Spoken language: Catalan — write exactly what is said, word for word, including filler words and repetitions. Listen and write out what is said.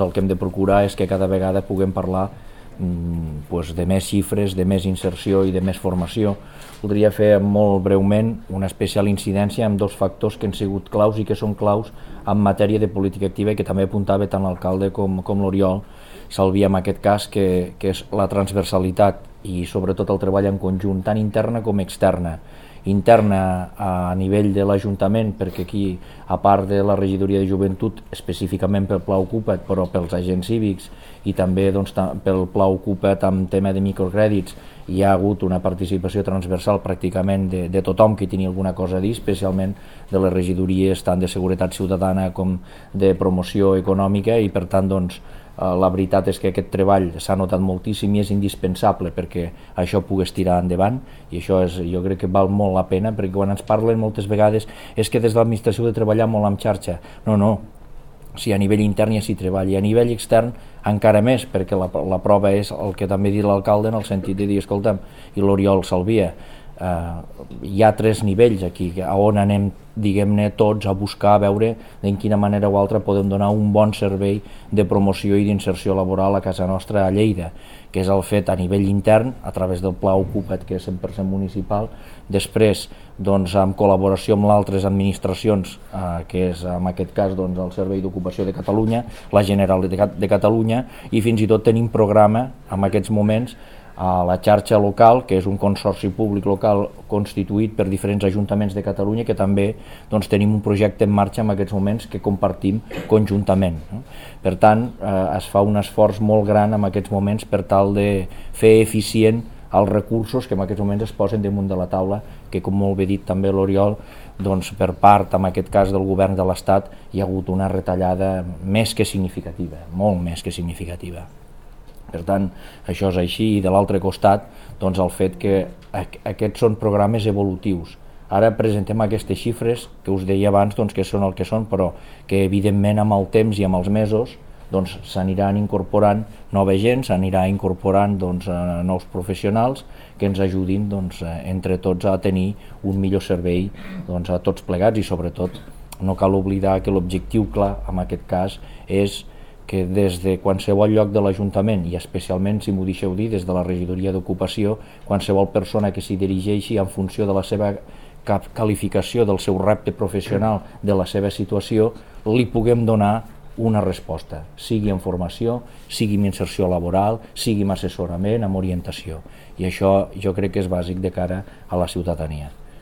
El que hem de procurar és que cada vegada puguem parlar mm, pues, de més xifres, de més inserció i de més formació. Voldria fer molt breument una especial incidència amb dos factors que han sigut claus i que són claus en matèria de política activa i que també apuntava tant l'alcalde com, com l'Oriol Salvia en aquest cas, que, que és la transversalitat i sobretot el treball en conjunt, tant interna com externa. Interna a nivell de l'Ajuntament, perquè aquí, a part de la regidoria de joventut, específicament pel Pla Ocupa't, però pels agents cívics i també doncs, pel Pla Ocupa't amb tema de microcrèdits, hi ha hagut una participació transversal pràcticament de, de tothom que tenia alguna cosa a dir, especialment de les regidories tant de seguretat ciutadana com de promoció econòmica, i per tant doncs, la veritat és que aquest treball s'ha notat moltíssim i és indispensable perquè això pogués tirar endavant, i això és, jo crec que val molt la pena, perquè quan ens parlen moltes vegades és que des de l'administració de treballar molt amb xarxa. No, no, si a nivell intern ja s'hi treballa, i a nivell extern encara més, perquè la, la prova és el que també ha dit l'alcalde en el sentit de dir, escolta'm, i l'Oriol Salvia, eh, hi ha tres nivells aquí on anem, diguem-ne, tots a buscar a veure en quina manera o altra podem donar un bon servei de promoció i d'inserció laboral a casa nostra a Lleida, que és el fet a nivell intern, a través del Pla Ocupa't, que és cent per cent municipal, després doncs, en col·laboració amb altres administracions, eh, que és en aquest cas doncs, el Servei d'Ocupació de Catalunya, la Generalitat de Catalunya, i fins i tot tenim programa en aquests moments a la xarxa local, que és un consorci públic local constituït per diferents ajuntaments de Catalunya, que també doncs, tenim un projecte en marxa en aquests moments que compartim conjuntament. No? Per tant, eh, es fa un esforç molt gran en aquests moments per tal de fer eficient els recursos que en aquests moments es posen damunt de la taula, que com molt bé dit també l'Oriol, doncs, per part, en aquest cas del govern de l'Estat, hi ha hagut una retallada més que significativa, molt més que significativa. Per tant, això és així, i de l'altre costat, doncs el fet que aquests són programes evolutius. Ara presentem aquestes xifres que us deia abans doncs, que són el que són, però que evidentment amb el temps i amb els mesos doncs, s'aniran incorporant nova gent, s'anirà incorporant doncs, nous professionals que ens ajudin doncs, entre tots a tenir un millor servei doncs, a tots plegats, i sobretot no cal oblidar que l'objectiu clar en aquest cas és que des de qualsevol lloc de l'Ajuntament, i especialment, si m'ho deixeu dir, des de la regidoria d'ocupació, qualsevol persona que s'hi dirigeixi en funció de la seva qualificació, del seu repte professional, de la seva situació, li puguem donar una resposta, sigui en formació, sigui en inserció laboral, sigui en assessorament, en orientació. I això jo crec que és bàsic de cara a la ciutadania.